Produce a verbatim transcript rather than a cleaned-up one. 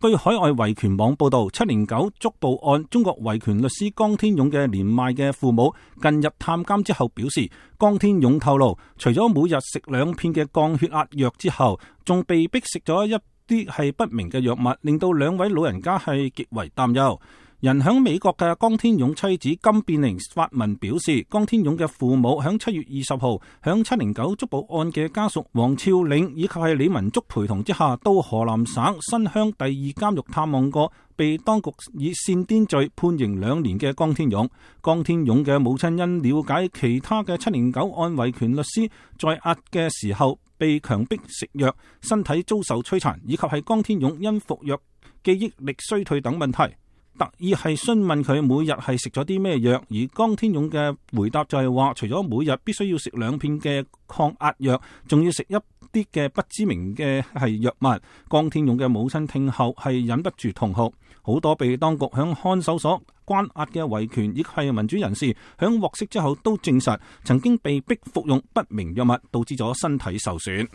據海外維權網報道，七零九捉捕案中國維權律師江天勇嘅年邁嘅父母近日探監之後表示，江天勇透露，除咗每日食兩片嘅降血壓藥之後，仲被逼食咗一啲係不明嘅藥物，令到兩位老人家係極為擔憂。人響美國嘅江天勇妻子金變玲發文表示，江天勇嘅父母響七月二十號響七零九捉捕案嘅家屬黃超嶺以及係李文竹陪同之下，到河南省新鄉第二監獄探望過被當局以煽顛罪判刑兩年嘅江天勇。江天勇嘅母親因了解其他嘅七零九案維權律師在押嘅時候被強迫食藥，身體遭受摧殘，以及係江天勇因服藥記憶力衰退等問題，特意係詢問佢每日係食咗啲咩藥，而江天勇嘅回答就係話，除咗每日必須要食兩片嘅抗壓藥，仲要食一啲嘅不知名嘅係藥物。江天勇嘅母親聽後係忍不住痛哭。好多被當局響看守所關押嘅維權以及係民主人士響獲釋之後都證實，曾經被逼服用不明藥物，導致咗身體受損。